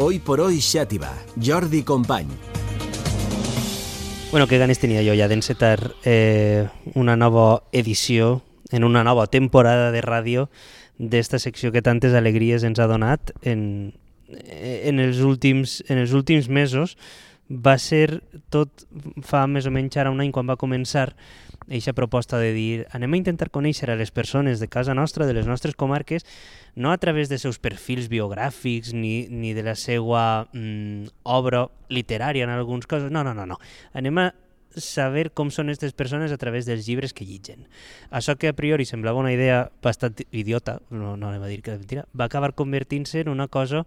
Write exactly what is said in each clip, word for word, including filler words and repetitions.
Hoy por hoy Xàtiva, Jordi Company. Bueno, que ganes tenia jo ja d'encetar eh, una nova edició, en una nova temporada de ràdio d'esta secció que tantes alegries ens ha donat en, en, els últims, en els últims mesos. Va ser tot fa més o menys ara un any quan va començar aquesta proposta de dir anem a intentar conèixer a les persones de casa nostra, de les nostres comarques, no a través dels seus perfils biogràfics ni, ni de la seva mm, obra literària en alguns casos, no, no, no, no. Anem a saber com són aquestes persones a través dels llibres que llitgen. Això que a priori semblava una idea bastant idiota, no, no anem a dir que és mentira, va acabar convertint-se en una cosa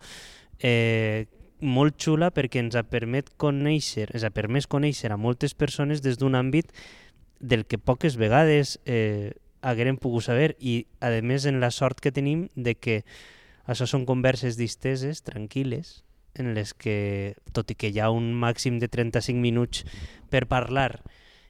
eh, molt xula perquè ens ha permet conèixer, ens ha permès conèixer a moltes persones des d'un àmbit del que poques vegades eh, haguérem pogut saber i, a més, en la sort que tenim de que això són converses disteses, tranquil·les, en les que, tot i que hi ha un màxim de trenta-cinc minuts per parlar,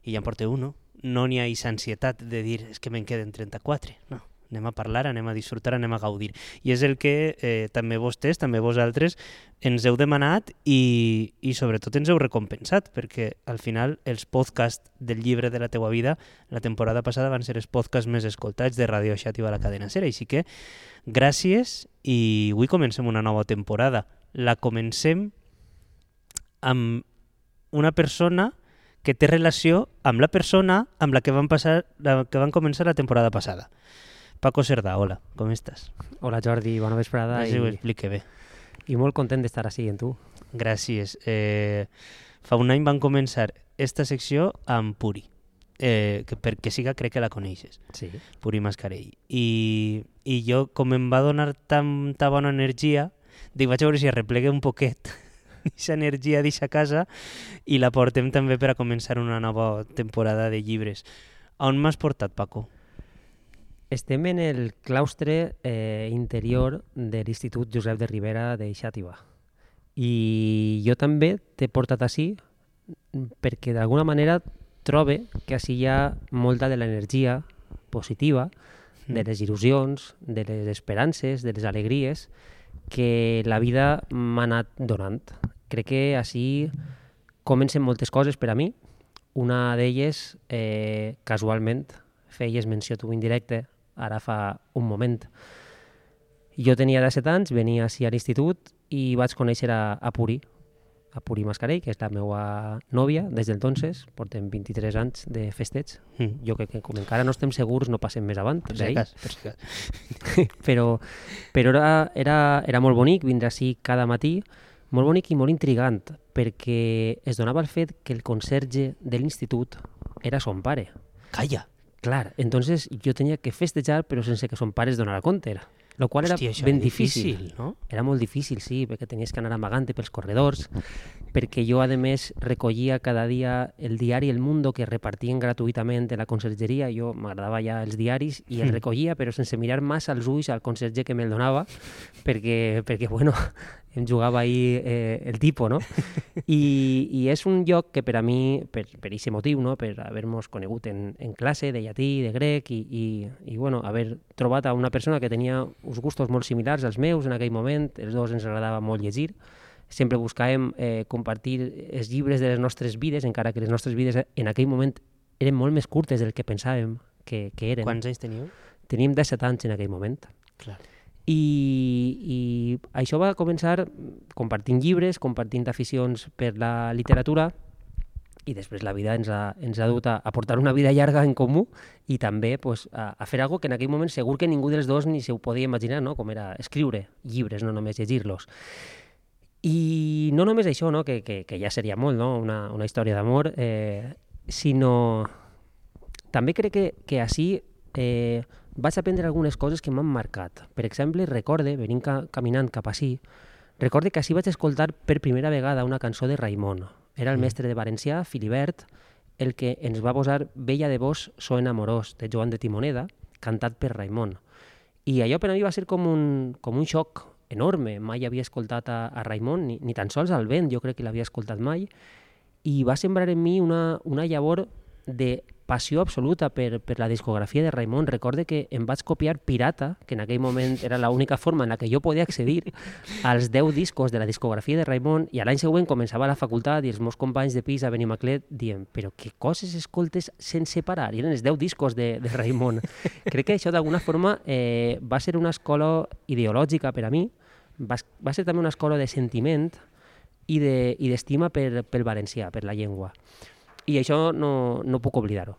i ja en porteu un, no n'hi ha aquesta ansietat de dir és que me'n queden trenta-quatre, no. Anem a parlar, anem a disfrutar, anem a gaudir. I és el que eh, també vostès, també vosaltres, ens heu demanat i, i sobretot ens heu recompensat, perquè al final els podcasts del llibre de la teua vida la temporada passada van ser els podcasts més escoltats de Ràdio Xàtiva a la cadena SER. Així que gràcies i avui comencem una nova temporada. La comencem amb una persona que té relació amb la persona amb la que van, passar, la que van començar la temporada passada. Paco Cerdà, hola, com estàs? Hola Jordi, bona vesprada. I ho explique bé. I molt content d'estar així amb tu. Gràcies. Eh, fa un any van començar esta secció amb Puri, eh, que perquè siga crec que la coneixes. Sí. Puri Mascarell. I, I jo, com em va donar tanta bona energia, dic, vaig a veure si arreplegue un poquet aquesta energia d'eixa casa i la portem també per a començar una nova temporada de llibres. On m'has portat, Paco? Estem en el claustre eh, interior de l'Institut Josep de Ribera de Xàtiva. I jo també t'he portat així perquè d'alguna manera trobe que així hi ha molta de l'energia positiva, de les il·lusions, de les esperances, de les alegries que la vida m'ha anat donant. Crec que així comencen moltes coses per a mi. Una d'elles, eh, casualment, feies menció tu indirecte, ara fa un moment. Jo tenia disset anys, venia així a l'institut i vaig conèixer a, a Puri, a Puri Mascarell, que és la meva nòvia des del entonces, portem vint-i-tres anys de festeig. Mm. Jo crec que com encara no estem segurs no passem més avant. Per si cas, per si cas. però però era, era, era molt bonic vindre així cada matí, molt bonic i molt intrigant, perquè es donava el fet que el conserge de l'institut era son pare. Calla! Clar, entonces jo tenia que festejar però sense que son pare es donara compte, lo qual era Hòstia, ben era difícil. difícil, no? Era molt difícil, sí, perquè tenies que anar amagant pels corredors, perquè jo, a més, recollia cada dia el diari El Mundo que repartien gratuïtament en la consergeria. Jo m'agradava ja els diaris i el recollia, però sense mirar massa als ulls al conserge que me'l donava, perquè, perquè bueno, em jugava ahí eh, el tipo, no? I, I és un lloc que per a mi, per aquest motiu, no? Per haver-nos conegut en, en classe de llatí, de grec, i, i, i bueno, haver trobat a una persona que tenia uns gustos molt similars als meus en aquell moment, els dos ens agradava molt llegir, sempre buscàvem eh, compartir els llibres de les nostres vides, encara que les nostres vides en aquell moment eren molt més curtes del que pensàvem que, que eren. Quants anys teníeu? Teníem disset anys en aquell moment. Clar. I, i això va començar compartint llibres, compartint aficions per la literatura, i després la vida ens ha, ens ha dut a, a portar una vida llarga en comú i també pues, a, a fer alguna cosa que en aquell moment segur que ningú dels dos ni se ho podia imaginar, no? Com era escriure llibres, no només llegir-los. I no només això, no? que, que, que ja seria molt, no? una, una història d'amor, eh, sinó també crec que, que així eh, vaig aprendre algunes coses que m'han marcat. Per exemple, recorde, venint ca caminant cap així, recorde que així vaig escoltar per primera vegada una cançó de Raimon. Era el mestre de valencià, Filibert, el que ens va posar Bella de vos, so enamorós, de Joan de Timoneda, cantat per Raimon. I allò per a mi va ser com un, com un xoc enorme. Mai havia escoltat a, a Raimon, ni, ni tan sols al vent, jo crec que l'havia escoltat mai, i va sembrar en mi una, una llavor de passió absoluta per, per la discografia de Raimon. Recorde que em vaig copiar pirata, que en aquell moment era l'única forma en la que jo podia accedir als deu discos de la discografia de Raimon, i a l'any següent començava a la facultat i els meus companys de pis a Benimaclet dient però què coses escoltes sense parar? I eren els deu discos de, de Raimon. Crec que això d'alguna forma eh, va ser una escola ideològica per a mi, va, va ser també una escola de sentiment i d'estima de, per, pel valencià, per la llengua. I això no, no puc oblidar-ho.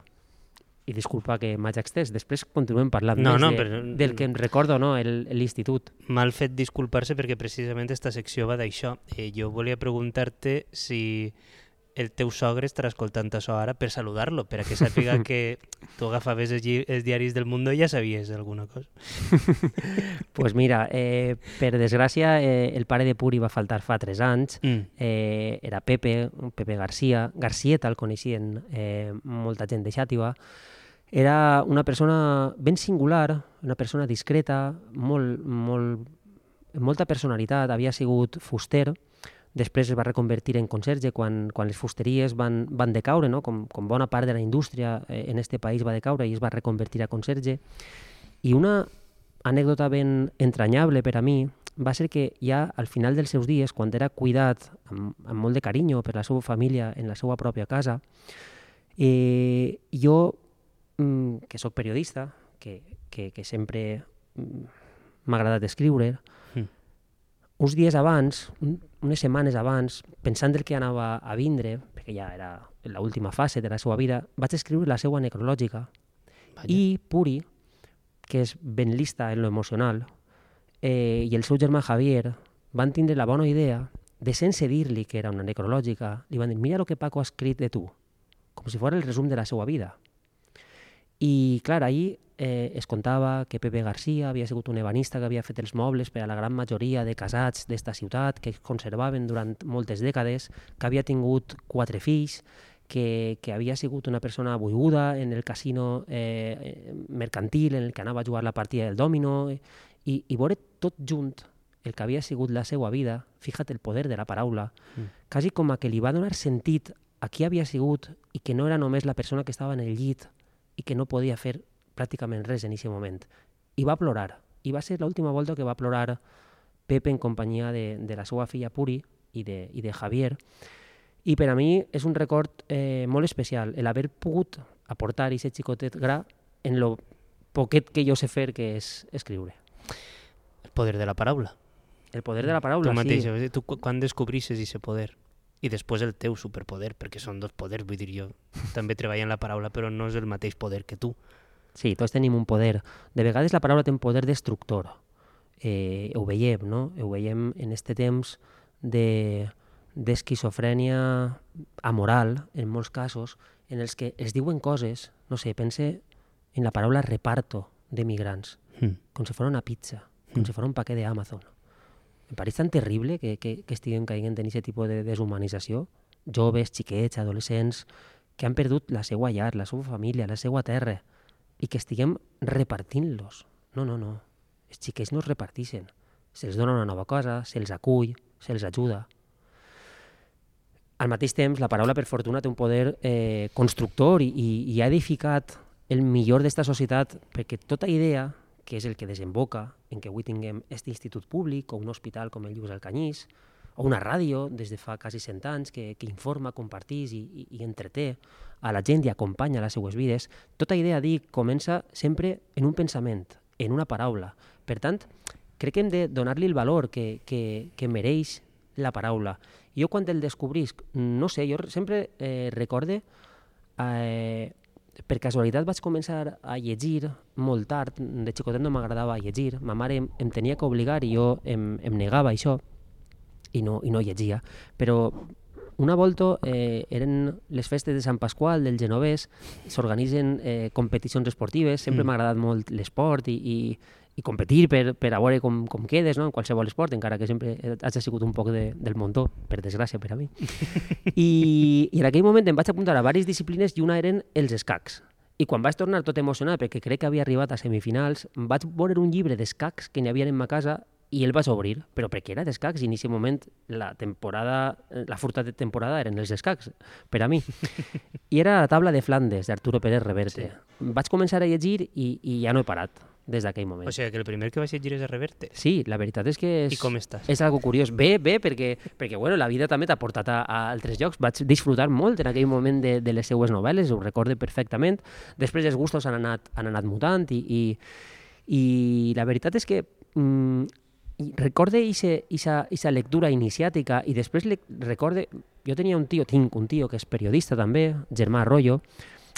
I disculpa que m'haig extès. Després continuem parlant no, més no, de, però... del que em recordo, no? l'institut. Mal fet disculpar-se perquè precisament aquesta secció va d'això. Eh, jo volia preguntar-te si el teu sogre estarà escoltant això ara per saludar-lo, per a que sàpiga que tu agafaves els, els diaris del Mundo i ja sabies alguna cosa. Pues mira, eh, per desgràcia, eh, el pare de Puri va faltar fa tres anys. Mm. Eh, era Pepe, Pepe García. Garcieta el coneixien eh, molta gent de Xàtiva. Era una persona ben singular, una persona discreta, molt, molt, amb molta personalitat. Havia sigut fuster, després es va reconvertir en conserge quan, quan les fusteries van, van decaure, no? com, com bona part de la indústria eh, en este país va decaure i es va reconvertir a conserge. I una anècdota ben entranyable per a mi va ser que ja al final dels seus dies, quan era cuidat amb, amb molt de carinyo per la seva família en la seva pròpia casa, eh, jo, mm, que sóc periodista, que, que, que sempre m'ha agradat escriure, mm. uns dies abans, unes setmanes abans, pensant el que anava a vindre, perquè ja era l'última fase de la seva vida, vaig escriure la seva necrològica. Vaya. I Puri, que és ben lista en lo emocional, eh, i el seu germà Javier van tindre la bona idea de, sense dir-li que era una necrològica, li van dir, mira el que Paco ha escrit de tu, com si fos el resum de la seva vida. I, clar, ahir eh, es contava que Pepe García havia sigut un ebanista que havia fet els mobles per a la gran majoria de casats d'esta ciutat, que es conservaven durant moltes dècades, que havia tingut quatre fills, que, que havia sigut una persona buiguda en el casino eh, mercantil en el que anava a jugar la partida del dòmino, i, i veure tot junt el que havia sigut la seva vida, fíjate el poder de la paraula, mm. quasi com a que li va donar sentit a qui havia sigut i que no era només la persona que estava en el llit i que no podia fer pràcticament res en aquest moment. I va plorar. I va ser l'última volta que va plorar Pepe en companyia de, de la seva filla Puri i de, i de Javier. I per a mi és un record eh, molt especial el haver pogut aportar aquest xicotet gra en lo poquet que jo sé fer, que és escriure. El poder de la paraula. El poder de la paraula, tu mateix, sí. Tu quan descobrisses aquest poder? I després el teu superpoder, perquè són dos poders, vull dir, jo també treballo en la paraula, però no és el mateix poder que tu. Sí, tots tenim un poder. De vegades la paraula té un poder destructor. Eh, ho veiem, no? Ho veiem en este temps de, d'esquizofrènia amoral, en molts casos, en els que es diuen coses, no sé, pense en la paraula reparto de migrants, mm. com si fos una pizza, com mm. si fos un paquet d'Amazon. Em pareix tan terrible que, que, que estiguem caient en aquest tipus de deshumanització. Joves, xiquets, adolescents, que han perdut la seva llar, la seva família, la seva terra, i que estiguem repartint-los. No, no, no. Els xiquets no es reparteixen. Se'ls dona una nova cosa, se'ls acull, se'ls ajuda. Al mateix temps, la paraula, per fortuna, té un poder eh, constructor i, i ha edificat el millor d'esta societat, perquè tota idea, que és el que desemboca en que avui tinguem aquest institut públic o un hospital com el Lluís Alcanyís, o una ràdio des de fa quasi cent anys que, que informa, compartís i, i, i entreté a la gent i acompanya les seues vides, tota idea, dic, comença sempre en un pensament, en una paraula. Per tant, crec que hem de donar-li el valor que, que, que mereix la paraula. Jo quan el descobrisc, no sé, jo sempre eh, recorde... Eh, per casualitat vaig començar a llegir molt tard, de xicotet no m'agradava llegir, ma mare em, em tenia que obligar i jo em, em negava això i no, i no llegia, però una volta eh, eren les festes de Sant Pasqual del Genovès, s'organitzen eh, competicions esportives, sempre mm. m'ha agradat molt l'esport i, i, i competir per, per a veure com, com quedes, no? En qualsevol esport, encara que sempre hagi sigut un poc de, del muntó, per desgràcia per a mi. I, I en aquell moment em vaig apuntar a diverses disciplines i una eren els escacs. I quan vaig tornar tot emocionat, perquè crec que havia arribat a semifinals, vaig veure un llibre d'escacs que n'hi havia en ma casa i el vaig obrir, però perquè era d'escacs i en aquest moment la temporada, la furta de temporada eren els escacs, per a mi. I era la taula de Flandes, d'Arturo Pérez Reverte. Sí. Vaig començar a llegir i, i ja no he parat des d'aquell moment. O sigui, que el primer que vaig llegir és a Reverte. Sí, la veritat és que és, I com estàs? És algo curiós. Bé, bé, perquè, perquè bueno, la vida també t'ha portat a, a altres llocs. Vaig disfrutar molt en aquell moment de, de les seues novel·les, ho recorde perfectament. Després els gustos han anat, han anat mutant i, i, i la veritat és que mm, recorde aquesta lectura iniciàtica i després le, recorde... Jo tenia un tio, tinc un tio que és periodista també, Germà Arroyo,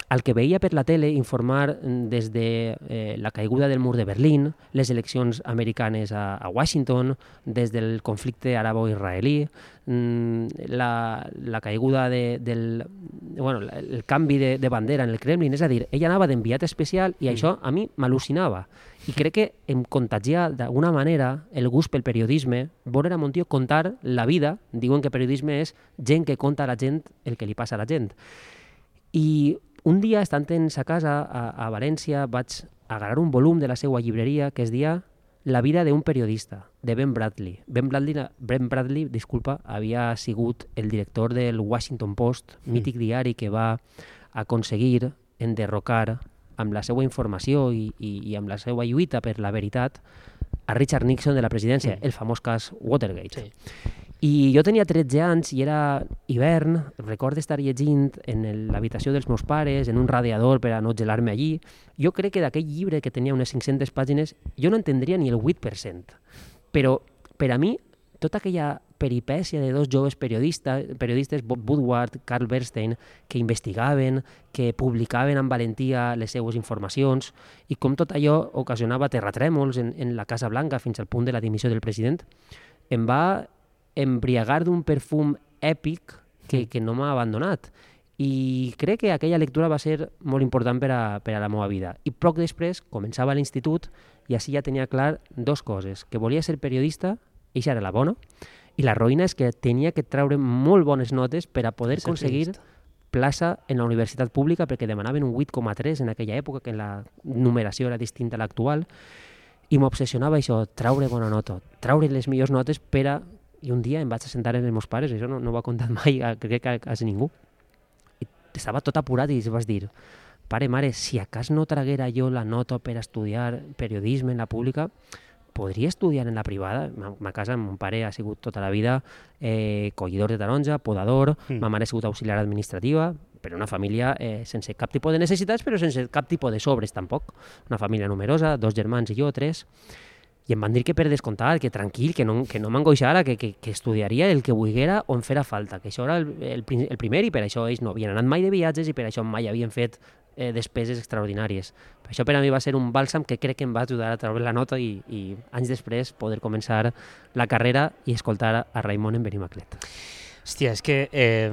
al que veia per la tele informar des de eh, la caiguda del mur de Berlín, les eleccions americanes a, a Washington, des del conflicte arabo-israelí, la, la caiguda de, del... Bueno, el canvi de, de bandera en el Kremlin, és a dir, ell anava d'enviat especial i mm. això a mi m'al·lucinava. I crec que em contagia d'alguna manera el gust pel periodisme, veure a mon tio contar la vida, diuen que periodisme és gent que conta a la gent el que li passa a la gent. I un dia, estant en sa casa a, a València, vaig agarrar un volum de la seva llibreria que es deia La vida d'un periodista, de Ben Bradley. Ben Bradley, Ben Bradley, disculpa, havia sigut el director del Washington Post, mític diari que va aconseguir enderrocar amb la seva informació i, i, i amb la seva lluita per la veritat a Richard Nixon de la presidència, mm. el famós cas Watergate. Sí. I jo tenia tretze anys i era hivern, recordo estar llegint en l'habitació dels meus pares, en un radiador per a no gelar-me allí. Jo crec que d'aquell llibre, que tenia unes cinc-centes pàgines, jo no entendria ni el vuit per cent. Però per a mi, tota aquella peripècia de dos joves periodistes, periodistes Bob Woodward, Carl Bernstein, que investigaven, que publicaven amb valentia les seues informacions, i com tot allò ocasionava terratrèmols en, en la Casa Blanca fins al punt de la dimissió del president, em va embriagar d'un perfum èpic que, que no m'ha abandonat. I crec que aquella lectura va ser molt important per a, per a la meva vida. I poc després començava a l'institut i així ja tenia clar dos coses, que volia ser periodista, i això era la bona, i la roïna és que tenia que treure molt bones notes per a poder aconseguir plaça en la universitat pública, perquè demanaven un vuit coma tres en aquella època, que la numeració era distinta a l'actual, i m'obsessionava això, treure bona nota, treure les millors notes per a... I un dia em vaig assentar amb els meus pares, això no, no ho ha contat mai, crec que quasi ningú. I estava tot apurat i vas dir, pare, mare, si a cas no traguera jo la nota per estudiar periodisme en la pública, podria estudiar en la privada. Ma casa, mon pare ha sigut tota la vida eh, collidor de taronja, podador, mm. ma mare ha sigut auxiliar administrativa, però una família eh, sense cap tipus de necessitats, però sense cap tipus de sobres tampoc. Una família numerosa, dos germans i jo, tres. I em van dir que per descomptat, que tranquil, que no, que no m'angoixara, que, que, que estudiaria el que volguera on fera falta, que això era el, el, el primer i per això ells no havien anat mai de viatges i per això mai havien fet eh, despeses extraordinàries. Per això per a mi va ser un bàlsam que crec que em va ajudar a treure la nota i, i anys després poder començar la carrera i escoltar a Raimon en Benimaclet. Hòstia, és que eh,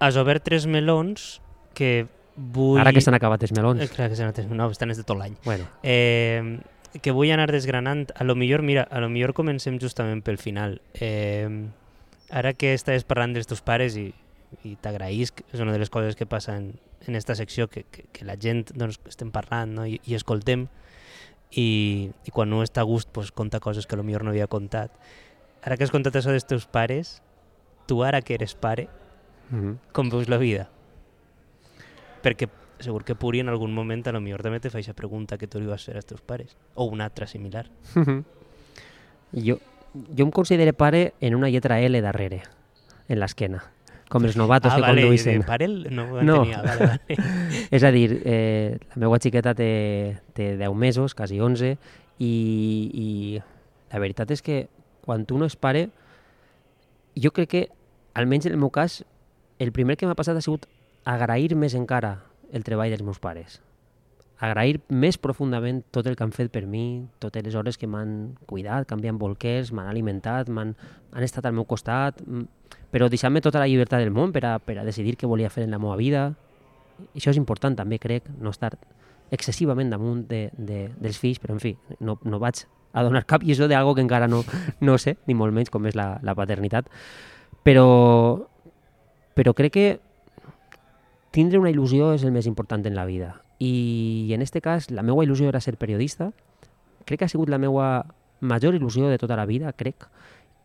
has obert tres melons que vull... Ara que s'han acabat els melons. Eh, clar que s'han acabat els melons, no, estan des de tot l'any. Bueno. Eh... que vull anar desgranant. A lo millor, mira, a lo millor comencem justament pel final. Eh, ara que estaves parlant dels teus pares i, i t'agraïsc, és una de les coses que passa en, en esta secció, que, que, que la gent doncs, estem parlant, no? I, i escoltem, i, i quan no està a gust pues, conta coses que a lo millor no havia contat. Ara que has contat això dels teus pares, tu ara que eres pare, mm-hmm. com veus la vida? Perquè segur que Puri en algun moment a lo millor també te fa aquesta pregunta que tu li vas fer als teus pares, o una altra similar. jo, jo em considero pare en una lletra L darrere, en l'esquena, com els novatos ah, que vale, conduïssin. Ah, vale, pare no ho no. entenia. Vale, vale. És a dir, eh, la meva xiqueta té, té deu mesos, quasi onze, i, i la veritat és que quan tu no és pare, jo crec que, almenys en el meu cas, el primer que m'ha passat ha sigut agrair més encara el treball dels meus pares. Agrair més profundament tot el que han fet per mi, totes les hores que m'han cuidat, canviant bolquers, m'han alimentat, m'han han estat al meu costat, però deixant-me tota la llibertat del món per a, per a decidir què volia fer en la meva vida. I això és important també, crec, no estar excessivament damunt de, de, dels fills, però en fi, no, no vaig a donar cap lliçó d'algo que encara no, no sé, ni molt menys com és la, la paternitat. Però, però crec que tindre una il·lusió és el més important en la vida. I en aquest cas, la meva il·lusió era ser periodista. Crec que ha sigut la meva major il·lusió de tota la vida, crec.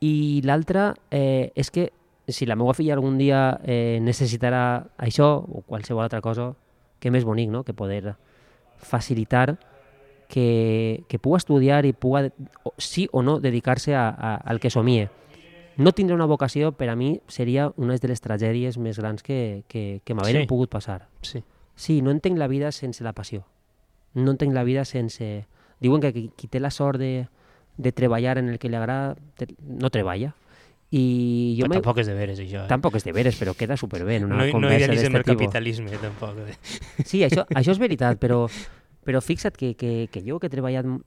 I l'altra eh, és que si la meva filla algun dia eh, necessitarà això o qualsevol altra cosa, que més bonic, no?, que poder facilitar que, que pugui estudiar i pugui, sí o no, dedicar-se a, a, al que somie. No tindre una vocació, per a mi, seria una de les tragèdies més grans que, que, que m'haveren Sí. pogut passar. Sí. Sí, no entenc la vida sense la passió. No entenc la vida sense... Diuen que qui, qui té la sort de, de treballar en el que li agrada, te- no treballa. I jo Però m'he- tampoc és de veres, això. Eh? Tampoc és de veres, però queda superbé en una no, no conversa idealitzem d'este el tipus. capitalisme, tampoc. eh? Sí, això, això és veritat, però, però fixa't que, que, que jo que he treballat m-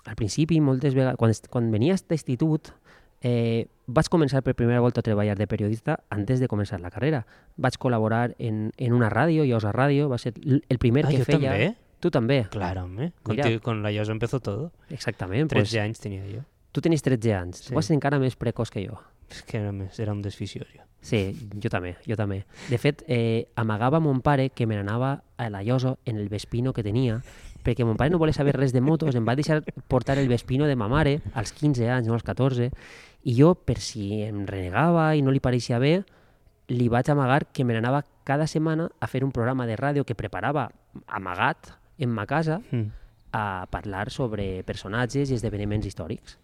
al principi, moltes vegades, quan, est- quan venia d'institut, eh, vaig començar per primera volta a treballar de periodista antes de començar la carrera. Vaig col·laborar en, en una ràdio, Llosa Ràdio, va ser l- el primer Ah, que jo feia... també? Tu també? Claro, hombre. Mira. Contigo, con la Llosa empezó todo. Exactament. trece Pues, anys tenia jo. tu tenies tretze anys. Sí. Tu vas ser encara més precoç que jo. És que era, més, era un desficiós, jo. Sí, jo també, jo també. De fet, eh, amagava a mon pare que me n'anava a la Llosa en el Vespino que tenia, perquè mon pare no volia saber res de motos, em va deixar portar el Vespino de ma mare als quinze anys, no als catorze, i jo, per si em renegava i no li pareixia bé, li vaig amagar que me n'anava cada setmana a fer un programa de ràdio que preparava amagat en ma casa Mm. a parlar sobre personatges i esdeveniments històrics.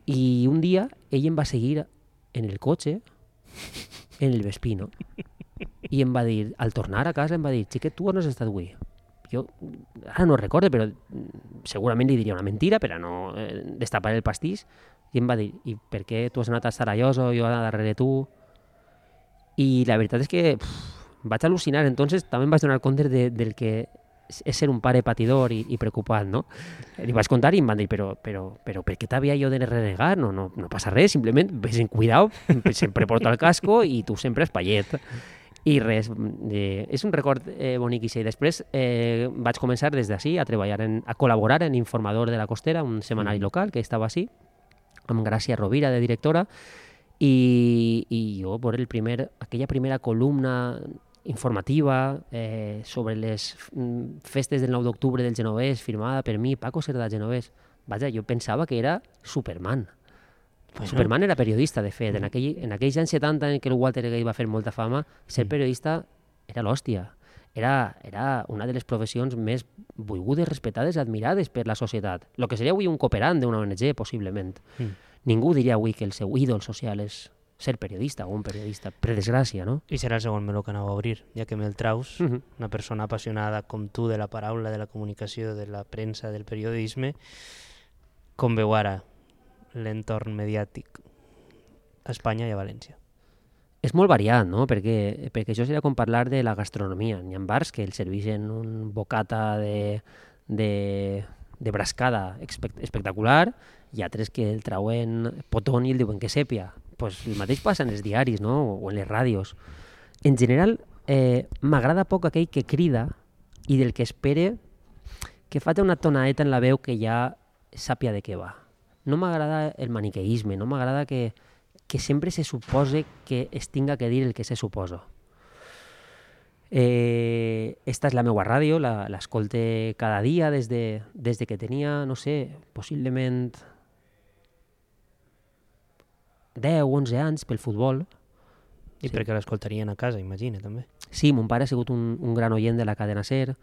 I un dia ell em va seguir en el cotxe, en el Vespino, i em va dir, al tornar a casa, em va dir, xiquet, tu on has estat avui? Jo ara no recordo, però mm, segurament li diria una mentira per a no eh, destapar el pastís, i em va dir, i per què tu has anat a Sarayoso, jo anar darrere tu? I la veritat és que pff, vaig al·lucinar, entonces també em vaig donar compte de, del que és ser un pare patidor i, i preocupat, no? Li vaig contar i em van dir, però, però, però per què t'havia jo de renegar? No, no, no passa res, simplement ves en cuidao, sempre porta el casco i tu sempre espaiet. I res, eh, és un record eh, bonic i després eh, vaig començar des d'ací a treballar, en, a col·laborar en Informador de la Costera, un setmanari local que estava així, amb Gràcia Rovira de directora, i, i jo, por el primer, aquella primera columna informativa eh, sobre les mm, festes del nou d'octubre del Genovès, firmada per mi, Paco Cerdà Genovès. Vaja, jo pensava que era Superman. Bueno. Superman era periodista, de fet. En, aquell, en aquells anys setanta en què el Walter Gay va fer molta fama, ser periodista era l'hòstia. Era, era una de les professions més volgudes, respectades, admirades per la societat. El que seria avui un cooperant d'una O N G, possiblement. Mm. Ningú diria avui que el seu ídol social és ser periodista o un periodista, per desgràcia, no? I serà el segon meló que anava a obrir, ja que me'l traus, Mhm. una persona apassionada com tu de la paraula, de la comunicació, de la premsa, del periodisme, com veu ara l'entorn mediàtic a Espanya i a València. És molt variat, no? Perquè, perquè això seria com parlar de la gastronomia. N'hi ha bars que el serveixen un bocata de, de, de brascada espect espectacular i altres que el trauen potón i el diuen que sèpia. Pues el mateix passa en els diaris, no? O en les ràdios. En general, eh, m'agrada poc aquell que crida i del que espere que faci una tonaeta en la veu que ja sàpia de què va. No m'agrada el maniqueïsme, no m'agrada que, que sempre se supose que es tinga que dir el que se suposa. Eh, esta és la meva ràdio, l'escolte cada dia des de, des de que tenia, no sé, possiblement deu o onze anys pel futbol. I sí. perquè l'escoltarien a casa, imagina, també. Sí, mon pare ha sigut un, un gran oient de la cadena SER.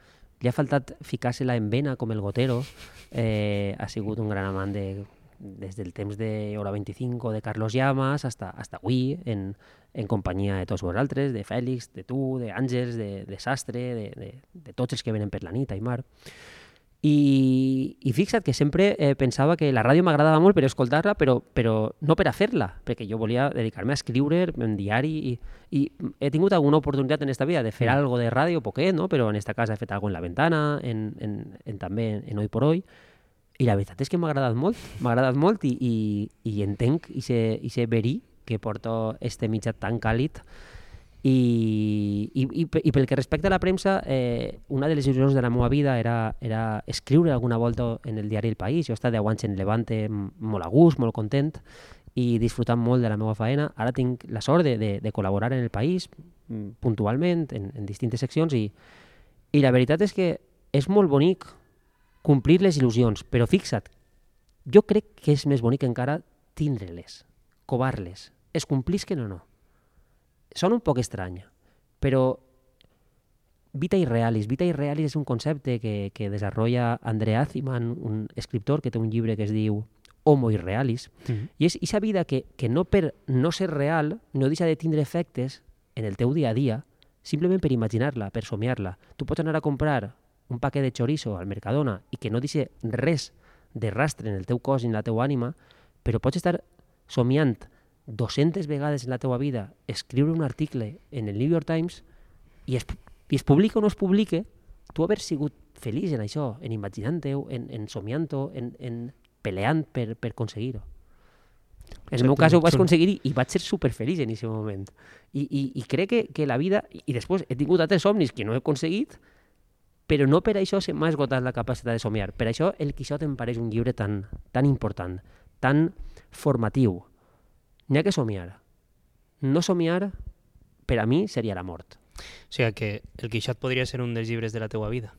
Li ha faltat ficar-se-la en vena com el Gotero. Eh, ha sigut un gran amant de, des del temps de Hora vint-i-cinc o de Carlos Llamas hasta, hasta avui, en, en companyia de tots vosaltres, de Fèlix, de tu, d'Àngels, de, de Sastre, de, de, de tots els que venen per la nit, Aimar. I, i fixa't que sempre eh, pensava que la ràdio m'agradava molt per escoltar-la, però, però no per a fer-la, perquè jo volia dedicar-me a escriure en diari i, i he tingut alguna oportunitat en esta vida de fer mm. algo de ràdio, poquet, no? Però en esta casa he fet algo en La Ventana, en, en, en, també en, en Hoy por Hoy, i la veritat és que m'ha agradat molt, m'ha agradat molt i, i, i entenc i sé, i sé verí que porto este mitjà tan càlid. I, i, i, i pel que respecta a la premsa, eh, una de les il·lusions de la meva vida era, era escriure alguna volta en el diari El País. Jo he estat deu anys en Levante molt a gust, molt content i disfrutant molt de la meva faena. Ara tinc la sort de, de, de col·laborar en El País puntualment, en, en distintes seccions i, i la veritat és que és molt bonic complir les il·lusions, però fixa't, jo crec que és més bonic encara tindre-les, covar-les, es complisquen o no. Sona un poc estrany, però vita irrealis. Vita irrealis és un concepte que, que desenvolupa Andrea Aziman, un escriptor que té un llibre que es diu Homo Irrealis, mm-hmm. i és aquesta vida que, que no per no ser real no deixa de tindre efectes en el teu dia a dia, simplement per imaginar-la, per somiar-la. Tu pots anar a comprar un paquet de chorizo al Mercadona i que no deixa res de rastre en el teu cos i en la teua ànima, però pots estar somiant dues-centes vegades en la teua vida, escriure un article en el New York Times i es, i es publica o no es publica, tu haver sigut feliç en això, en imaginant-ho, en, en somiant-ho, en, en peleant per, per aconseguir-ho. En el meu cas ho vaig aconseguir i vaig ser superfeliç en aquest moment. I, i, i crec que, que la vida... I després he tingut altres somnis que no he aconseguit, però no per això se m'ha esgotat la capacitat de somiar. Per això el Quixot em pareix un llibre tan, tan important, tan formatiu. N'hi ha que somiar. No somiar, per a mi, seria la mort. O sigui que el Quixot podria ser un dels llibres de la teua vida.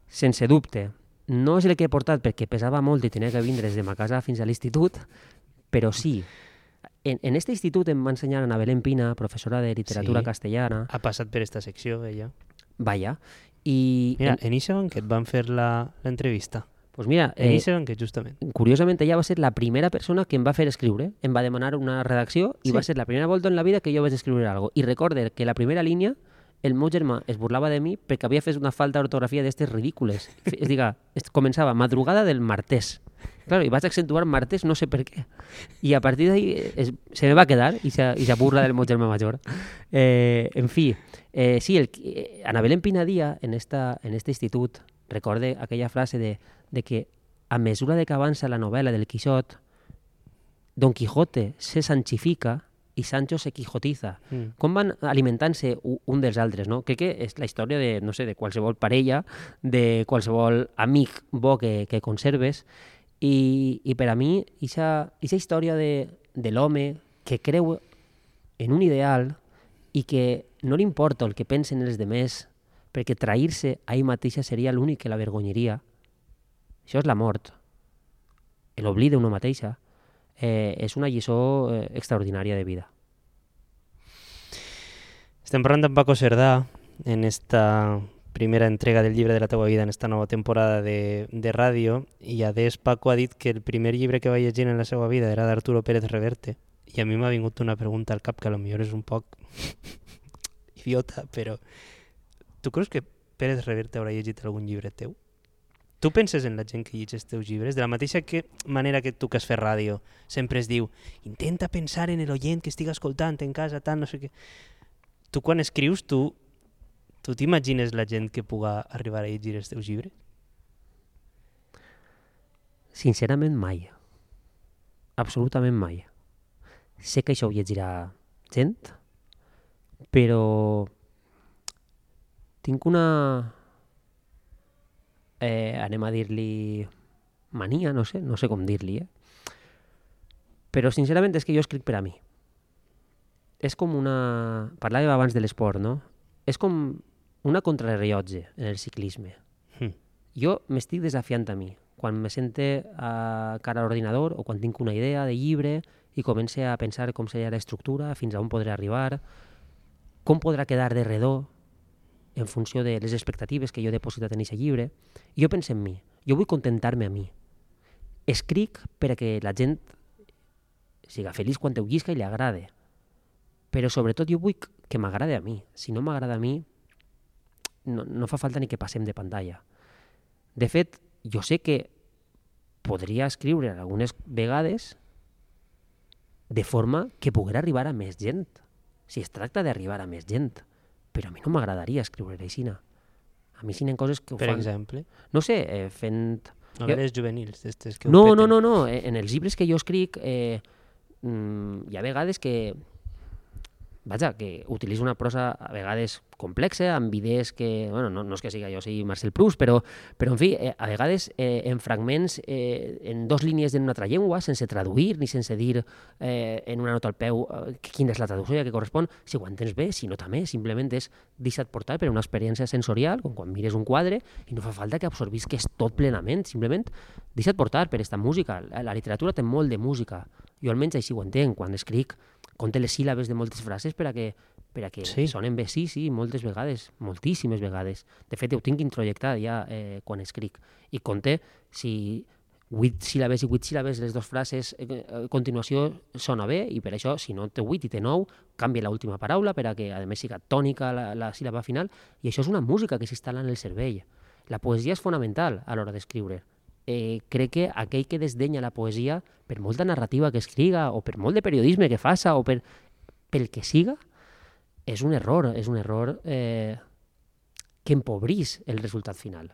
Sense dubte. No és el que he portat perquè pesava molt i tenia que vindre des de ma casa fins a l'institut, però sí. En, en este institut em va ensenyar Ana Belén Pina, professora de literatura sí. castellana. Ha passat per esta secció, ella. Vaya. I mira, en, en eixe banquet van fer l'entrevista. Pues mira, en eh, eixe banquet, justament. Curiosament, ella va ser la primera persona que em va fer escriure. Em va demanar una redacció i sí. va ser la primera volta en la vida que jo vaig escriure alguna cosa. I recorde que la primera línia el meu germà es burlava de mi perquè havia fet una falta d'ortografia d'estes ridícules. És diga, començava madrugada del martès. Claro, i vaig accentuar martès no sé per què. I a partir d'ahí se me va quedar i se, i se burla del meu germà major. Eh, en fi, eh, sí, el, eh, Ana Belén Pinadía en, esta, en este institut recorde aquella frase de, de que a mesura de que avança la novel·la del Quixot, Don Quijote se sanchifica i Sancho se quijotiza. Mm. Com van alimentant-se un dels altres, no? Crec que és la història de, no sé, de qualsevol parella, de qualsevol amic bo que, que conserves, i, i per a mi, aquesta història de, de l'home que creu en un ideal i que no li importa el que pensen els demés, perquè trair-se a ell mateixa seria l'únic que la vergonyaria. Això és la mort. L'oblida d'una mateixa. Eh, és una lliçó eh, extraordinària de vida. Estem parlant d'en Paco Cerdà en esta primera entrega del llibre de la teua vida en esta nova temporada de, de ràdio, i a més Paco ha dit que el primer llibre que va llegir en la seva vida era d'Arturo Pérez Reverte, i a mi m'ha vingut una pregunta al cap que potser és un poc idiota, però tu creus que Pérez Reverte haurà llegit algun llibre teu? Tu penses en la gent que llegeix els teus llibres? De la mateixa que manera que tu que has fet ràdio sempre es diu intenta pensar en l'oient que estigui escoltant en casa, tant, no sé què. Tu quan escrius, tu tu t'imagines la gent que puga arribar a llegir els teus llibres? Sincerament mai. Absolutament mai. Sé que això ho llegirà gent, però tinc una... Eh, anem a dir-li mania, no sé, no sé com dir-li, eh? Però sincerament és que jo escric per a mi. És com una... Parlàvem abans de l'esport, no? És com una contrarrellotge en el ciclisme. Mm. Jo m'estic desafiant a mi. Quan me sente a cara a l'ordinador o quan tinc una idea de llibre i comença a pensar com seria l'estructura, fins a on podré arribar, com podrà quedar de redó en funció de les expectatives que jo he depositat en aquest llibre, i jo penso en mi. Jo vull contentar-me a mi. Escric perquè la gent siga feliç quan ho llisca i li agrade. Però sobretot jo vull que m'agrade a mi. Si no m'agrada a mi, no, no fa falta ni que passem de pantalla. De fet, jo sé que podria escriure algunes vegades de forma que poguera arribar a més gent. Si es tracta d'arribar a més gent. Però a mi no m'agradaria escriure aixina. A mi sinen coses que ho per fan... Per exemple? No sé, eh, fent... Novel·les jo... juvenils, d'estes que no, ho peten. No, no, no, en els llibres que jo escric eh, mm, hi ha vegades que vaja, que utilitza una prosa a vegades complexa, amb idees que, bueno, no, no és que siga jo sigui Marcel Proust, però, però en fi, eh, a vegades eh, en fragments, eh, en dos línies d'una altra llengua, sense traduir ni sense dir eh, en una nota al peu eh, quina és la traducció que correspon, si ho entens bé, si no també, simplement és deixa't portar per una experiència sensorial, com quan mires un quadre, i no fa falta que absorbisques tot plenament, simplement deixa't portar per aquesta música. La, la literatura té molt de música, jo almenys així ho entenc, quan escric conté les síl·labes de moltes frases per a que, per a que sí. sonen bé, sí, sí, moltes vegades, moltíssimes vegades. De fet, ho tinc introjectat ja eh, quan escric. I conté si vuit síl·labes i vuit síl·labes, les dues frases eh, a continuació sona bé, i per això, si no té vuit i té nou, canvia l'última paraula per a que, a més, siga tònica la, la síl·laba final, i això és una música que s'instal·la en el cervell. La poesia és fonamental a l'hora d'escriure. Eh, crec que aquell que desdenya la poesia, per molta narrativa que escriga, o per molt de periodisme que faça, o per, pel que siga, és un error, és un error eh, que empobrís el resultat final.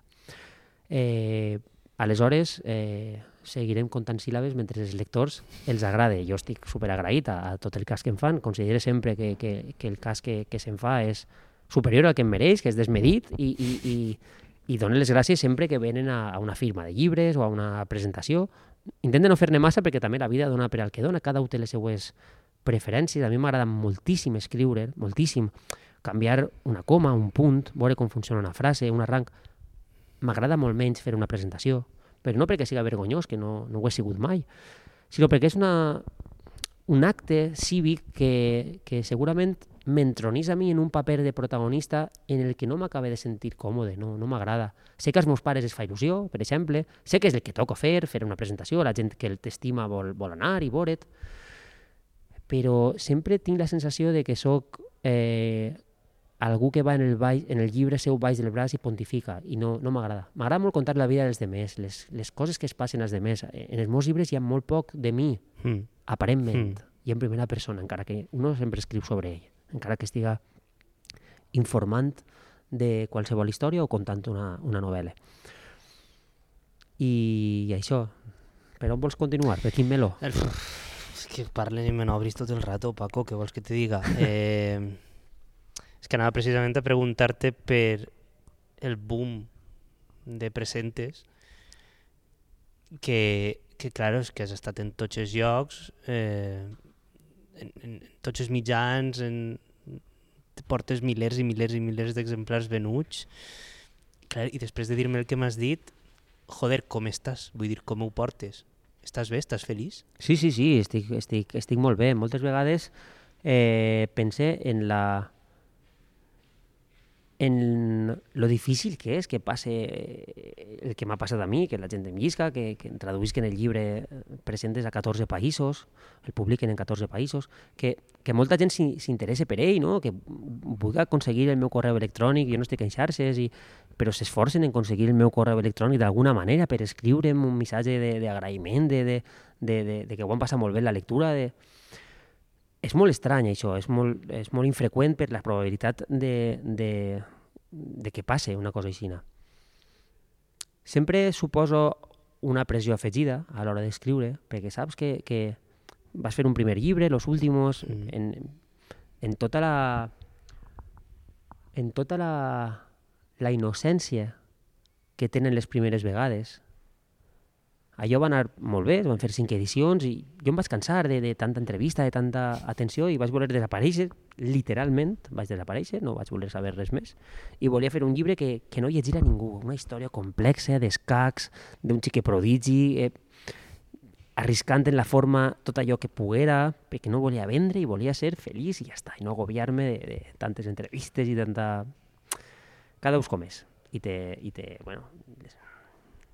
Eh, aleshores, eh, seguirem comptant síl·labes mentre els lectors els agrade. Jo estic superagraït a, a tot el cas que em fan, considero sempre que, que, que el cas que, que se'm fa és superior al que em mereix, que és desmedit, i, i, i i donen les gràcies sempre que venen a, a una firma de llibres o a una presentació. Intenten no fer-ne massa perquè també la vida dona per al que dona, cada un té les seues preferències. A mi m'agrada moltíssim escriure, moltíssim, canviar una coma, un punt, veure com funciona una frase, un arranc. M'agrada molt menys fer una presentació, però no perquè siga vergonyós, que no, no ho he sigut mai, sinó perquè és una, un acte cívic que, que segurament m'entronís a mi en un paper de protagonista en el que no m'acaba de sentir còmode, no, no m'agrada. Sé que als meus pares es fa il·lusió, per exemple, sé que és el que toca fer, fer una presentació, la gent que t'estima vol, vol anar i veure't, però sempre tinc la sensació de que sóc eh, algú que va en el, baix, en el llibre seu baix del braç i pontifica, i no, no m'agrada. M'agrada molt contar la vida dels demés, les, les coses que es passen als demés. En els meus llibres hi ha molt poc de mi, mm. aparentment, mm. i en primera persona, encara que uno sempre escriu sobre ell, encara que estiga informant de qualsevol història o contant una, una novel·la. I, I això, per on vols continuar? Per quin meló? El... És que parlen i me n'obris tot el rato, Paco, què vols que te diga? Eh... És que anava precisament a preguntar-te per el boom de presentes que, que claro, és que has estat en tots els llocs, eh, en, en tots els mitjans, en, portes milers i milers i milers d'exemplars venuts. Clar, i després de dir-me el que m'has dit, joder, com estàs? Vull dir, com ho portes? Estàs bé? Estàs feliç? Sí, sí, sí, estic, estic, estic molt bé. Moltes vegades eh, pense en la en lo difícil que és que passe el que m'ha passat a mi, que la gent em llisca, que, que traduïsquen el llibre presentes a catorze països, el publiquen en catorze països, que, que molta gent s'interessa per ell, no? Que vulgui aconseguir el meu correu electrònic, jo no estic en xarxes, i, però s'esforcen en aconseguir el meu correu electrònic d'alguna manera per escriure'm un missatge d'agraïment, de, de, de, de, de que ho han passat molt bé la lectura, de... És molt estrany això, és molt, és molt infreqüent per la probabilitat de, de, de que passe una cosa així. Sempre suposo una pressió afegida a l'hora d'escriure, perquè saps que, que vas fer un primer llibre, los últimos, mm. en, en tota la en tota la, la innocència que tenen les primeres vegades. Allò va anar molt bé, van fer cinc edicions i jo em vaig cansar de, de tanta entrevista, de tanta atenció i vaig voler desaparèixer, literalment vaig desaparèixer, no vaig voler saber res més i volia fer un llibre que, que no llegirà ningú, una història complexa d'escacs, d'un xique prodigi, eh, arriscant en la forma tot allò que poguera, perquè no volia vendre i volia ser feliç i ja està, i no agobiar-me de, de tantes entrevistes i tanta... Cada ús com és. I té, i té bueno, les,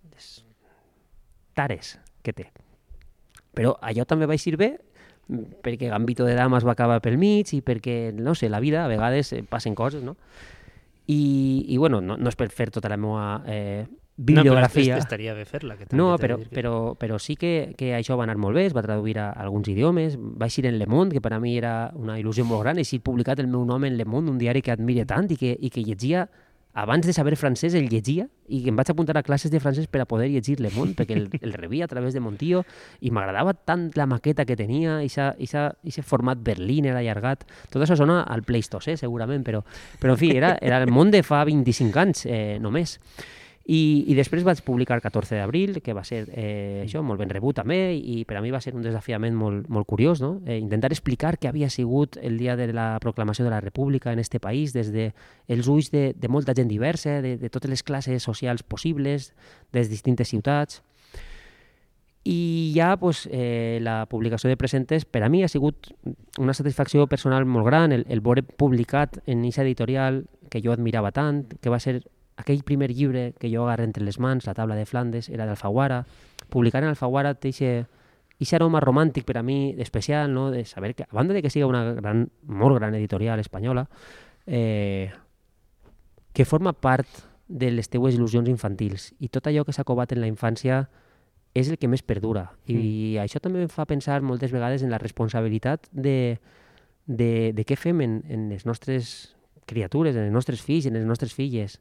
les tares que té. Però allò també va eixir bé perquè Gambito de Damas va acabar pel mig i perquè, no sé, la vida a vegades passen coses, no? I, i bueno, no, no és per fer tota la meva eh, bibliografia. No, però estaria bé fer-la. Que no, però, que... però, però sí que, que això va anar molt bé, es va traduir a alguns idiomes, va eixir en Le Monde, que per a mi era una il·lusió molt gran, eixir publicat el meu nom en Le Monde, un diari que admire tant i que, i que llegia abans de saber francès el llegia i em vaig apuntar a classes de francès per a poder llegir Le Monde, perquè el, el rebia a través de Montillo i m'agradava tant la maqueta que tenia, aquest format berliner allargat. Tot això sona al Pleistocè, segurament, però, però en fi, era, era el món de fa vint-i-cinc anys, eh, només. I, i després vaig publicar catorze d'abril, que va ser eh, això, molt ben rebut també, i per a mi va ser un desafiament molt, molt curiós, no? Eh, intentar explicar què havia sigut el dia de la proclamació de la República en este país, des de els ulls de, de molta gent diversa, de, de totes les classes socials possibles, des distintes ciutats. I ja pues, eh, la publicació de Presentes per a mi ha sigut una satisfacció personal molt gran, el, el veure publicat en aquesta editorial que jo admirava tant, que va ser aquell primer llibre que jo agarré entre les mans, La taula de Flandes, era d'Alfaguara. Publicar en Alfaguara té aquest aroma romàntic per a mi especial, no? De saber que, a banda de que siga una gran, molt gran editorial espanyola, eh, que forma part de les teues il·lusions infantils. I tot allò que s'ha covat en la infància és el que més perdura. I mm. això també em fa pensar moltes vegades en la responsabilitat de, de, de què fem en, en les nostres criatures, en els nostres fills, en les nostres filles.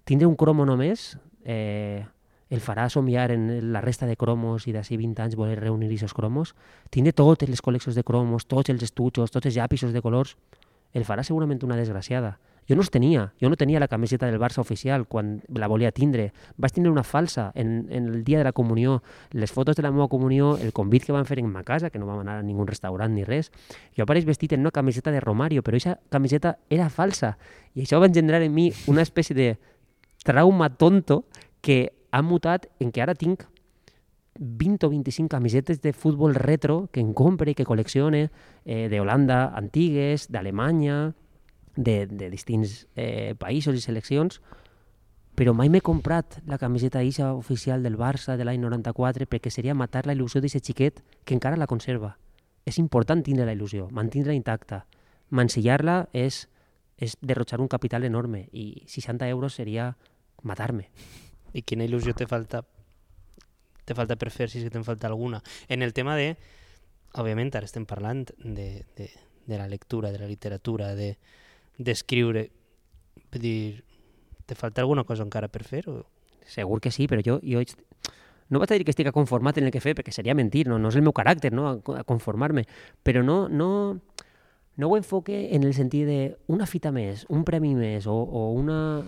Tindre un cromo només eh, el farà somiar en la resta de cromos i d'ací vint anys voler reunir aquests cromos. Tindre totes les col·leccions de cromos, tots els estuchos, tots els llapisos de colors, el farà segurament una desgraciada. Jo no els tenia, jo no tenia la camiseta del Barça oficial quan la volia tindre. Vaig tindre una falsa en, en el dia de la comunió, les fotos de la meva comunió, el convit que van fer en ma casa, que no vam anar a ningun restaurant ni res. Jo apareix vestit en una camiseta de Romario, però aquesta camiseta era falsa. I això va engendrar en mi una espècie de trauma tonto que ha mutat en que ara tinc vint o vint-i-cinc camisetes de futbol retro que em compre i que col·leccione eh, d'Holanda antigues, d'Alemanya, de, de distints eh, països i seleccions, però mai m'he comprat la camiseta isa oficial del Barça de l'any noranta-quatre perquè seria matar la il·lusió d'aquest xiquet que encara la conserva. És important tindre la il·lusió, mantenir-la intacta. Mancillar-la és és derrochar un capital enorme i seixanta euros seria matar-me. I quina il·lusió te falta te falta per fer, si és que te'n falta alguna? En el tema de, òbviament, ara estem parlant de, de, de la lectura, de la literatura, de d'escriure. Vull dir, te falta alguna cosa encara per fer? O... Segur que sí, però jo, jo no vaig a dir que estic conformat en el que fer, perquè seria mentir, no, no és el meu caràcter, no, a conformar-me, però no... no No ho enfoque en el sentit de una fita més, un premi més, o, o, una,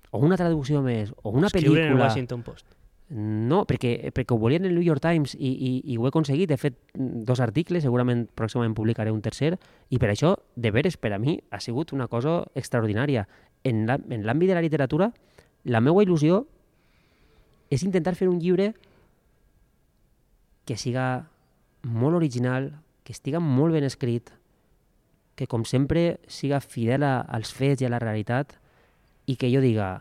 o una traducció més, o una Escriure pel·lícula... en el Washington Post. No, perquè, perquè ho volia en el New York Times i, i, i ho he aconseguit. He fet dos articles, segurament pròximament publicaré un tercer, i per això, de veres, per a mi, ha sigut una cosa extraordinària. En l'àmbit de la literatura, la meva il·lusió és intentar fer un llibre que siga molt original, que estiga molt ben escrit, que com sempre siga fidel a, als fets i a la realitat i que jo diga,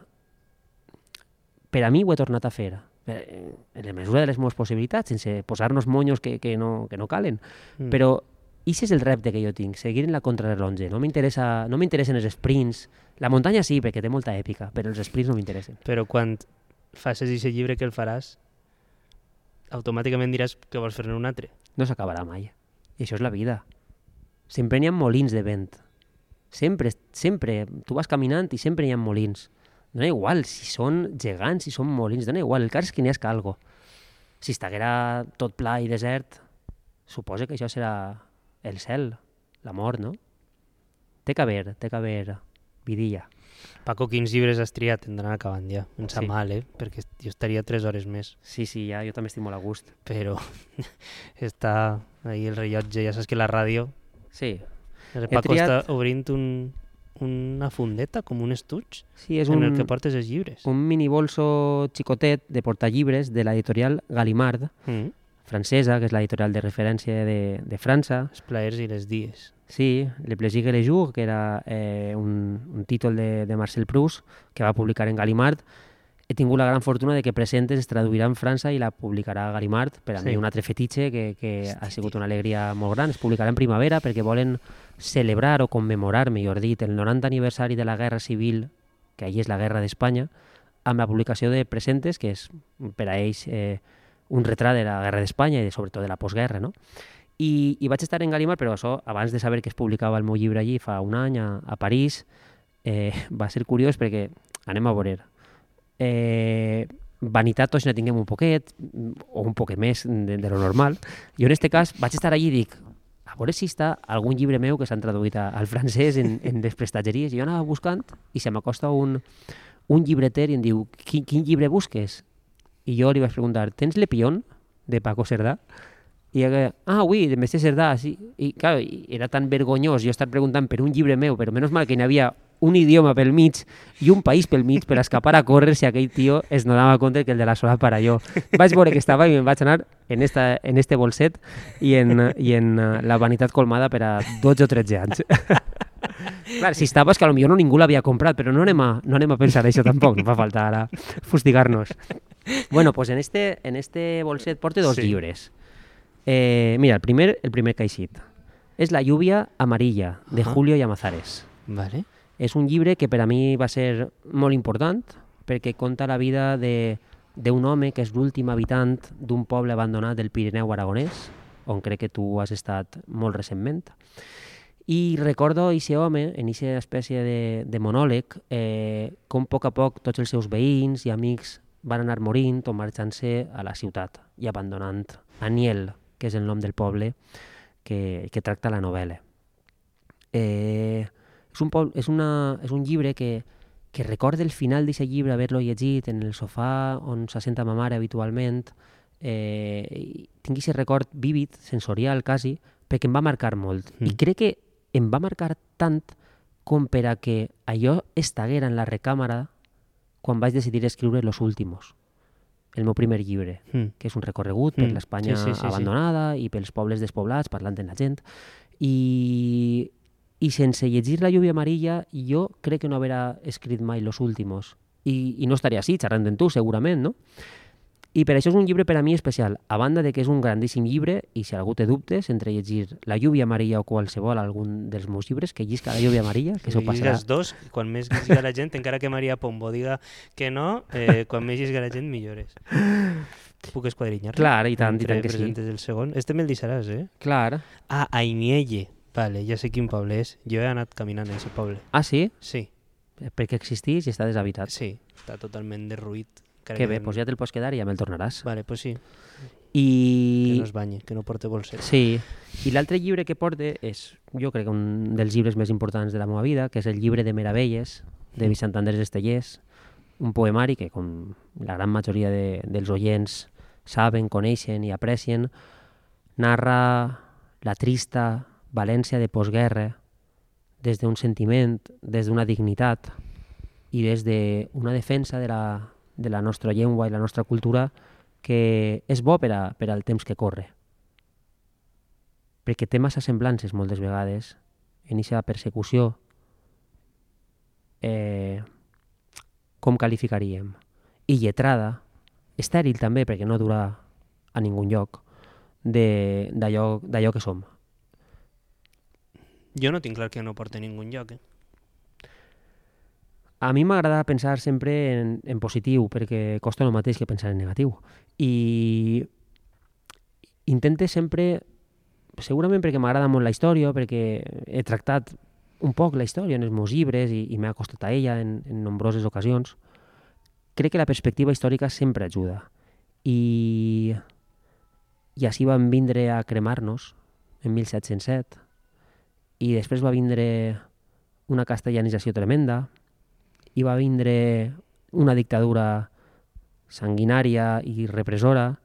per a mi ho he tornat a fer, en la mesura de les meves possibilitats, sense posar-nos monyos que, que, no, que no calen. Mm. Però això és el repte que jo tinc, seguir en la contrarrellotge. No m'interessa, no m'interessen els sprints. La muntanya sí, perquè té molta èpica, però els sprints no m'interessen. Però quan facis aquest llibre que el faràs, automàticament diràs que vols fer-ne un altre. No s'acabarà mai. I això és la vida. Sempre n'hi ha molins de vent. Sempre, sempre. Tu vas caminant i sempre hi ha molins. Dona igual si són gegants, si són molins, dona igual. El cas és que n'hi ha algo. Si estiguera tot pla i desert, suposa que això serà el cel, la mort, no? Té que haver, té que haver vidilla. Paco, quins llibres has triat? Hem d'anar acabant ja. Em sap Sí. mal, eh? Perquè jo estaria tres hores més. Sí, sí, ja, jo també estic molt a gust. Però està ahí el rellotge. Ja saps que la ràdio... Sí. El He Paco triat- està obrint un, una fundeta, com un estuig, Sí, és en un, el que portes els llibres. un mini bolso xicotet de portallibres de l'editorial Gallimard, Mm. francesa, que és l'editorial de referència de, de França. Els plaers i les dies. Sí, Le Plaisir et le Jour, que era eh, un, un títol de, de Marcel Proust, que va publicar en Gallimard. He tingut la gran fortuna de que Presentes es traduirà en França i la publicarà Gallimard. Per a Sí. mi un altre fetitxe que, que ha sigut una alegria molt gran. Es publicarà en primavera perquè volen celebrar o commemorar, millor dit, el noranta aniversari de la Guerra Civil, que ahir és la Guerra d'Espanya, amb la publicació de Presentes, que és per a ells eh, un retrat de la Guerra d'Espanya i de, sobretot de la postguerra, no? I, i vaig estar en Gallimard, però això abans de saber que es publicava el meu llibre allí fa un any a, a París, eh, va ser curiós perquè, anem a veure, eh, vanitat tots ne tinguem un poquet, o un poquet més de, de lo normal. Jo en este cas vaig estar allí i dic, a veure si està algun llibre meu que s'han traduït a, al francès en, en les prestatgeries. I jo anava buscant i se m'acosta un, un llibreter i em diu, quin, quin llibre busques? I jo li vaig preguntar, tens Le Pion, de Paco Cerdà? I ella, ah, oui, de Mestre Cerdà, sí. I, clar, era tan vergonyós jo estar preguntant per un llibre meu, però menys mal que hi havia un idioma pel mig i un país pel mig per escapar a córrer si aquell tio es donava compte que el de la sola para jo. Vaig veure que estava i me'n vaig anar en, esta, en este bolset i en, i en uh, la vanitat colmada per a dotze o tretze anys. Clar, si estava és que potser no ningú l'havia comprat, però no anem, a, no anem a pensar això tampoc, no fa falta ara fustigar-nos. Bueno, pues en este, en este bolset porte dos sí. llibres. Eh, mira, el primer, el primer caixit. És La lluvia amarilla, de uh -huh. Julio Llamazares. Vale. És un llibre que per a mi va ser molt important perquè conta la vida d'un home que és l'últim habitant d'un poble abandonat del Pirineu aragonès, on crec que tu has estat molt recentment. I recordo aquest home, en aquesta espècie de, de monòleg, eh, com a poc a poc tots els seus veïns i amics van anar morint o marxant-se a la ciutat i abandonant Aniel, que és el nom del poble que, que tracta la novel·la. Eh, és, un poble, és, una, és un llibre que, que recorda el final d'aquest llibre, haver-lo llegit en el sofà on s'assenta ma mare habitualment. Eh, tinc aquest record vívid, sensorial quasi, perquè em va marcar molt. Mm. I crec que em va marcar tant com per a que allò estaguera en la recàmera quan vaig decidir escriure Los Últimos, el meu primer llibre, mm. que és un recorregut per mm. l'Espanya sí, sí, sí, abandonada sí. i pels pobles despoblats, parlant amb la gent. I, I sense llegir La lluvia amarilla, jo crec que no haurà escrit mai Los Últimos. I, i no estaria així, xerrant amb tu, segurament, no? I per això és un llibre per a mi especial, a banda de que és un grandíssim llibre, i si algú té dubtes entre llegir La lluvia amarilla o qualsevol algun dels meus llibres, que llisca La lluvia amarilla, que això passarà. Els dos, quan més llisca la gent, encara que Maria Pombo diga que no, eh, quan més llisca la gent, millores. Puc esquadrinyar? Clar, i tant, i tant que sí. El segon. Este me'l deixaràs, eh? Clar. Ah, Ainielle. Vale, ja sé quin poble és. Jo he anat caminant a aquest poble. Ah, sí? Sí. Perquè existís i està deshabitat. Sí, està totalment derruït. Que bé, doncs ja te'l pots quedar i ja me'l tornaràs. Vale, doncs sí. I... Que no es banyi, que no porte bolset. Sí. I l'altre llibre que porte és, jo crec, un dels llibres més importants de la meva vida, que és el llibre de Meravelles, de Vicent Andrés Estellers, un poemari que, com la gran majoria de, dels oients saben, coneixen i aprecien, narra la trista València de postguerra des d'un sentiment, des d'una dignitat i des d'una defensa de la, de la nostra llengua i la nostra cultura que és bo per, a, per al temps que corre. Perquè té massa semblances moltes vegades en aquesta persecució. Eh, com qualificaríem? I lletrada, estèril també, perquè no dura a ningun lloc, d'allò que som. Jo no tinc clar que no porta a ningun lloc, eh? A mi m'agrada pensar sempre en, en positiu, perquè costa el mateix que pensar en negatiu. I intente sempre, segurament perquè m'agrada molt la història, perquè he tractat un poc la història en els meus llibres i, i m'he acostat a ella en, en nombroses ocasions, crec que la perspectiva històrica sempre ajuda. I, i així vam vindre a cremar-nos en mil set-cents set, i després va vindre una castellanització tremenda, i va vindre una dictadura sanguinària i repressora,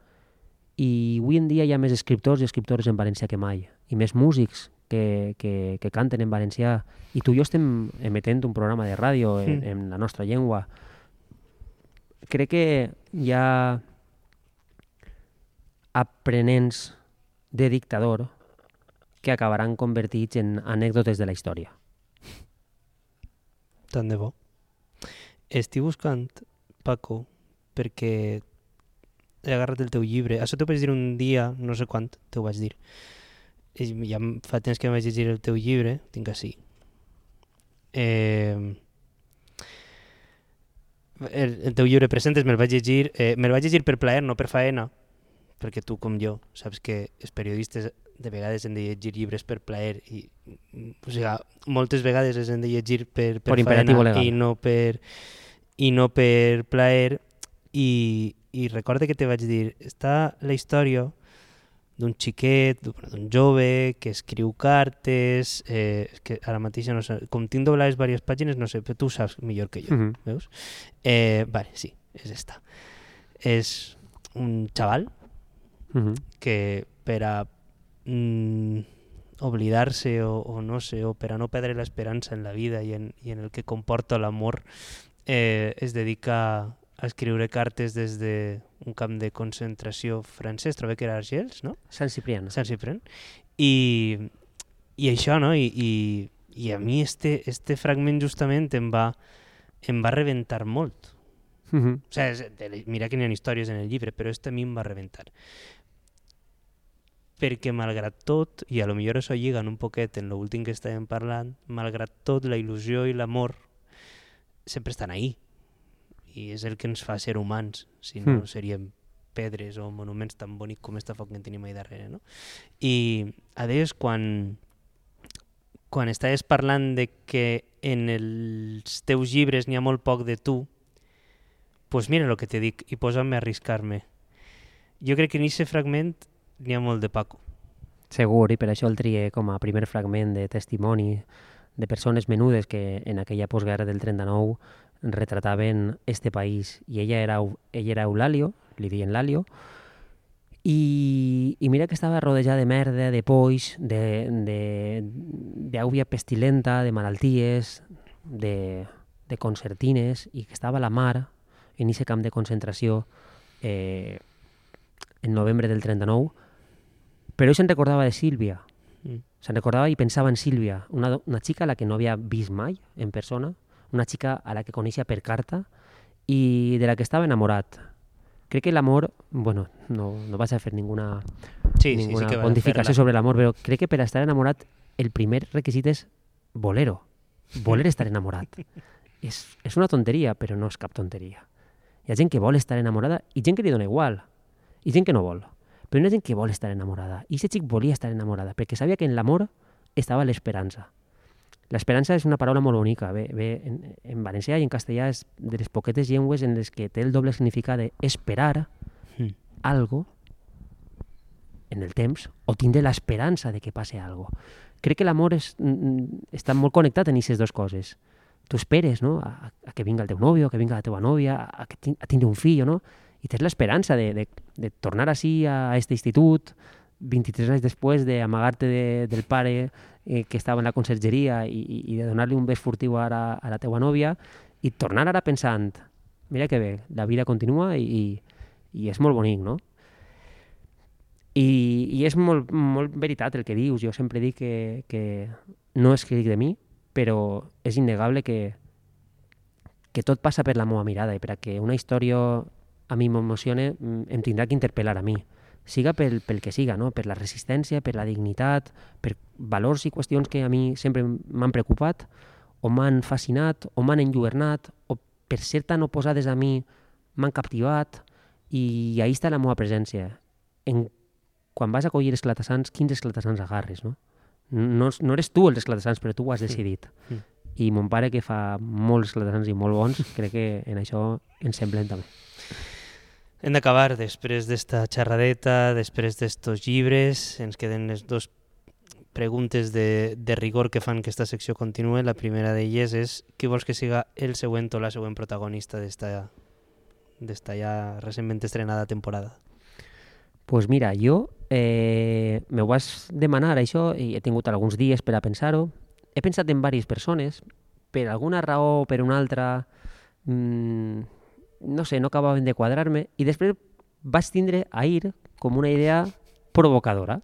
i avui en dia hi ha més escriptors i escriptores en valencià que mai, i més músics que, que, que canten en valencià, i tu i jo estem emetent un programa de ràdio en, en la nostra llengua. Crec que hi ha aprenents de dictador que acabaran convertits en anècdotes de la història. Tant de bo. Estic buscant, Paco, perquè he agarrat el teu llibre. Això t'ho vaig dir un dia, no sé quant, t'ho vaig dir. Ja fa temps que em vaig llegir el teu llibre, tinc així. Eh, el, el teu llibre Presentes me'l vaig llegir, eh, me'l vaig llegir per plaer, no per faena, perquè tu com jo saps que els periodistes de vegades hem de llegir llibres per plaer i o sigui, moltes vegades les hem de llegir per, per, Per imperatiu faena legal. i no per, i no per plaer, i, i recorda que te vaig dir, està la història d'un xiquet, d'un jove que escriu cartes, eh, que ara mateix no sé, com tinc doblades diverses pàgines, no sé, però tu saps millor que jo, Mhm. veus? Eh, vale, sí, és esta. És un xaval Mhm. que per a mm, oblidar-se o, o no sé, o per a no perdre l'esperança en la vida i en, i en el que comporta l'amor, eh, es dedica a escriure cartes des d'un camp de concentració francès, trobo que era Argels, no? Sant Ciprián. Sant Ciprián. I, i això, no? I, i, i a mi este, este fragment justament em va, em va reventar molt. Mhm. O sigui, és- de- mira que n'hi ha històries en el llibre, però este a mi em va reventar. Perquè malgrat tot, i a lo millor això lliga un poquet en l'últim que estàvem parlant, malgrat tot, la il·lusió i l'amor sempre estan ahí. I és el que ens fa ser humans, si no Mm. seríem pedres o monuments tan bonics com esta foc que en tenim ahí darrere, no? I a més, quan, quan estaves parlant de que en els teus llibres n'hi ha molt poc de tu, pues mira el que te dic, i posa'm a arriscar-me. Jo crec que en aquest fragment n'hi ha molt de Paco. Segur, i per això el trié com a primer fragment de testimoni de persones menudes que en aquella postguerra del trenta-nou retrataven este país. I ella era, ella era Eulalio, li deien Lalio, i, i mira que estava rodejada de merda, de polls, d'àuvia pestilenta, de malalties, de, de concertines, i que estava a la mar, en aquest camp de concentració, eh, en novembre del trenta-nou, però ell se'n recordava de Sílvia. Mm. Se'n recordava i pensava en Sílvia, una, do- una xica a la que no havia vist mai en persona, una xica a la que coneixia per carta i de la que estava enamorat. Crec que l'amor, bueno, no, no vas a fer ninguna, Sí, sí, sí ninguna que vas a pontificació fer-la. sobre l'amor, però crec que per estar enamorat el primer requisit és voler-ho, voler estar enamorat. és, és una tonteria, però no és cap tonteria. Hi ha gent que vol estar enamorada i gent que li dona igual, i gent que no vol. Però hi ha gent que vol estar enamorada. I aquest xic volia estar enamorada, perquè sabia que en l'amor estava l'esperança. L'esperança és una paraula molt bonica. Bé, bé, en, en valencià i en castellà és de les poquetes llengües en les que té el doble significat d'esperar Mm. algo en el temps o tindre l'esperança de que passe algo. Crec que l'amor és, mm, està molt connectat en aquestes dues coses. Tu esperes, no?, a, a que vinga el teu nòvio, a que vinga la teva nòvia, a, que tin, a tindre un fill, no?, i tens l'esperança de, de, de tornar així a aquest institut vint-i-tres anys després d'amagar-te de, del pare eh, que estava en la consergeria i, i, i de donar-li un bes furtiu ara a la teva nòvia i tornar ara pensant, mira que bé, la vida continua i, i, i és molt bonic, no? I, i és molt, molt veritat el que dius. Jo sempre dic que, que no escric de mi, però és innegable que, que tot passa per la meva mirada i per a que una història a mi m'emocione em tindrà que interpel·lar a mi, siga pel, pel que siga, no? Per la resistència, per la dignitat, per valors i qüestions que a mi sempre m'han preocupat o m'han fascinat o m'han enlluernat o per ser tan oposades a mi m'han captivat i ahí està la meva presència. En, quan vas a collir esclatassants, quins esclatassants agarres, no? No, no eres tu els esclatassants, però tu ho has decidit. Mm. I mon pare, que fa molts esclatassants i molt bons, crec que en això ens semblem també. Hem d'acabar després d'esta xerradeta, després d'estos llibres. Ens queden les dues preguntes de, de rigor que fan que aquesta secció continue. La primera d'elles és qui vols que siga el següent o la següent protagonista d'esta d'esta ja recentment estrenada temporada? Pues mira, jo eh, me ho vas demanar això i he tingut alguns dies per a pensar-ho. He pensat en diverses persones, per alguna raó o per una altra, mmm, no sé, no acabaven de quadrar-me, i després vaig tindre ahir com una idea provocadora.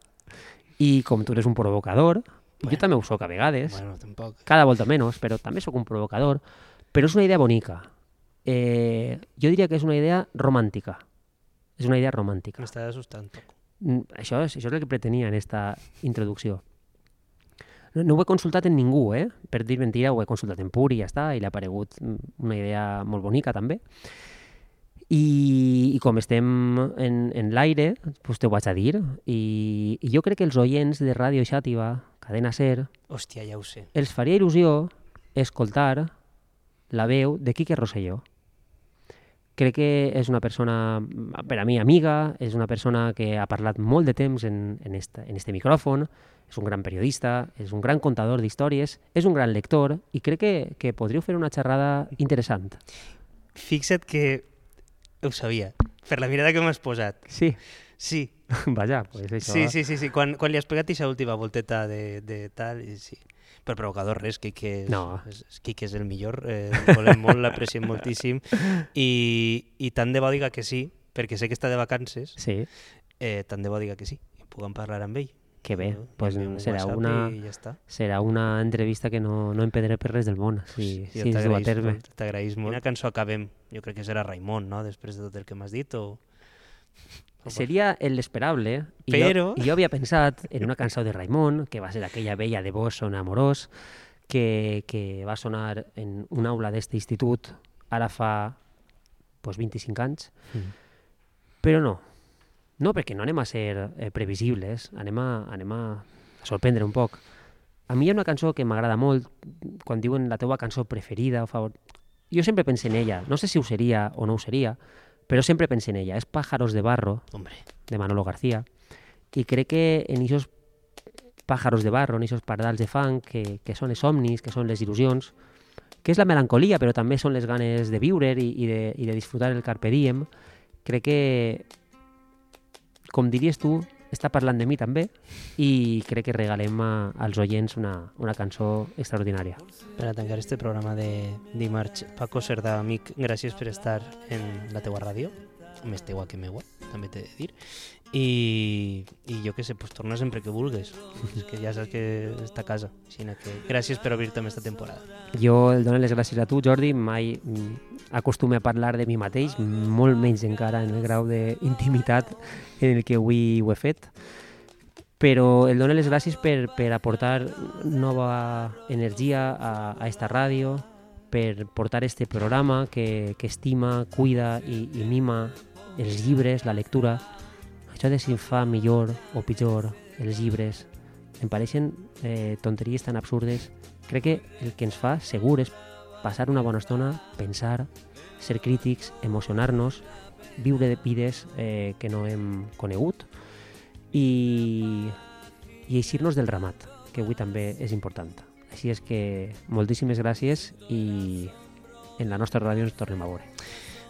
I com tu eres un provocador, bueno, jo també ho soc a vegades, Bueno, tampoc. cada volta menys, però també sóc un provocador, però és una idea bonica. Eh, jo diria que és una idea romàntica. És una idea romàntica. M'està assustant. Mm, Això és, això és el que pretenia en aquesta introducció. No, no ho he consultat en ningú, eh? Per dir mentira, ho he consultat en Puri i ja està, i l'ha aparegut una idea molt bonica també. I, i com estem en, en l'aire, doncs te ho vaig a dir. I, I jo crec que els oients de Ràdio Xàtiva, Cadena SER, Hòstia, ja ho sé. els faria il·lusió escoltar la veu de Quique Rosselló. Crec que és una persona, per a mi, amiga, és una persona que ha parlat molt de temps en, en, esta, en este micròfon, és un gran periodista, és un gran contador d'històries, és un gran lector i crec que, que podríeu fer una xerrada interessant. Fixa't que ho sabia, per la mirada que m'has posat. Sí. Sí. Vaja, pues això... Sí, sí, sí, sí. Quan, quan li has pegat aquesta última volteta de, de tal, i sí. Per provocador res, Quique és, No. és, Quique és el millor, eh, el volem molt, l'apreciem moltíssim, i, i tant de bo diga que sí, perquè sé que està de vacances, Sí, eh, tant de bo diga que sí, i puguem parlar amb ell. que bé, Jo, pues enviem un serà WhatsApp una, i ja està. serà una entrevista que no, no empedré per res del món, si, Jo si es du a t'agraïs terme. molt, t'agraïs molt. Quina cançó acabem? Jo crec que serà Raimon, no?, després de tot el que m'has dit, o... Seria el esperable, i, Però- jo, i jo havia pensat en una cançó de Raimon, que va ser aquella vella de vos son amorós, que, que va sonar en una aula d'este institut ara fa pues, vint-i-cinc anys, Mm. però no. No, perquè no anem a ser eh, previsibles, anem a, anem a sorprendre un poc. A mi hi ha una cançó que m'agrada molt, quan diuen la teua cançó preferida, o favor... Jo sempre penso en ella, no sé si ho seria o no ho seria, però sempre penso en ella. És Pájaros de barro, Hombre, de Manolo García, i crec que en aquests pájaros de barro, en aquests pardals de fang, que, que són els somnis, que són les il·lusions, que és la melancolia, però també són les ganes de viure i, i, de, i de disfrutar el carpe diem, crec que, com diries tu, està parlant de mi també, i crec que regalem a, als oients una, una cançó extraordinària. per a tancar este programa de dimarts, Paco Cerdà, amic, gràcies per estar en la teua ràdio, més teua que meua, també t'he de dir, i, i jo què sé, pues torna sempre que vulgues, és que ja saps que està a casa, així que gràcies per obrir-te amb esta temporada. Jo el dono les gràcies a tu, Jordi, mai mm, acostume a parlar de mi mateix, molt menys encara en el grau d'intimitat en el que avui ho he fet, però el dono les gràcies per, per aportar nova energia a, a esta ràdio, per portar este programa que, que estima, cuida i, i mima els llibres, la lectura. Això de si fa millor o pitjor els llibres em pareixen eh, tonteries tan absurdes. Crec que el que ens fa segur és passar una bona estona, pensar, ser crítics, emocionar-nos, viure de vides eh, que no hem conegut i, i eixir-nos del ramat, que avui també és important. Així és que moltíssimes gràcies i en la nostra ràdio ens tornem a veure.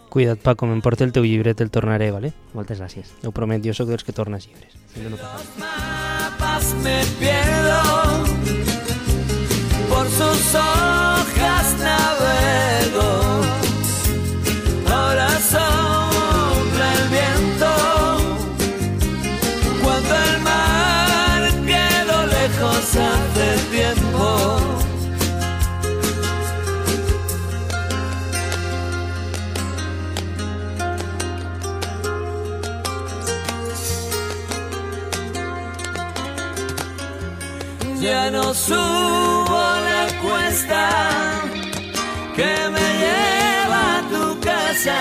Cuida't, Paco, m'emporta el teu llibre, te'l tornaré, vale? Moltes gràcies. Ho promet, jo sóc dels que tornes llibres. Si no, no passa res. Mapas me pierdo, por sus hojas navego, ahora sopla el viento, cuando el mar quedó lejos hace tiempo. Ya no subo la cuesta que me lleva a tu casa.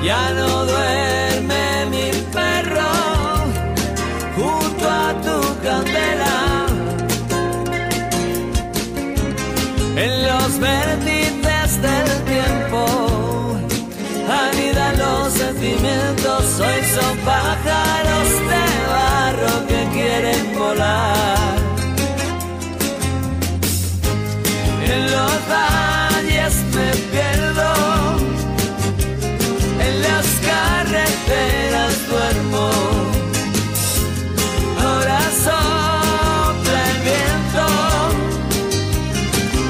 Ya no duerme mi perro junto a tu candela. En los vértices del tiempo anidan los sentimientos. Hoy son pájaros de barro que quieren volar. En los valles me pierdo, en las carreteras duermo. Ahora sopla el viento,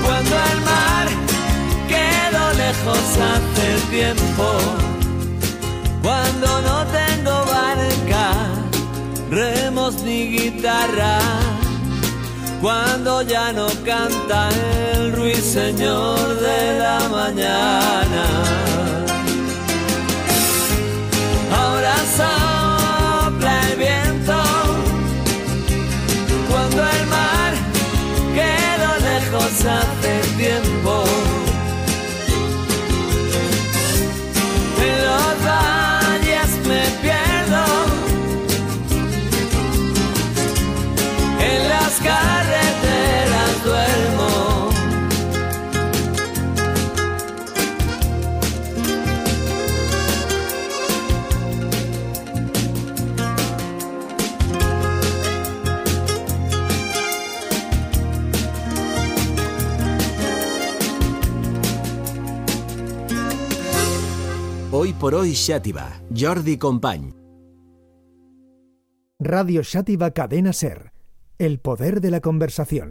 cuando el mar quedó lejos hace tiempo. Cuando no tengo barca, remos ni guitarra, cuando ya no canta el ruiseñor de la mañana. Ahora sopla el viento, cuando el mar quedó lejos hace tiempo. En los me pierdo, Hoy por hoy Xàtiva, Jordi Company. Radio Xàtiva Cadena Ser. El poder de la conversación.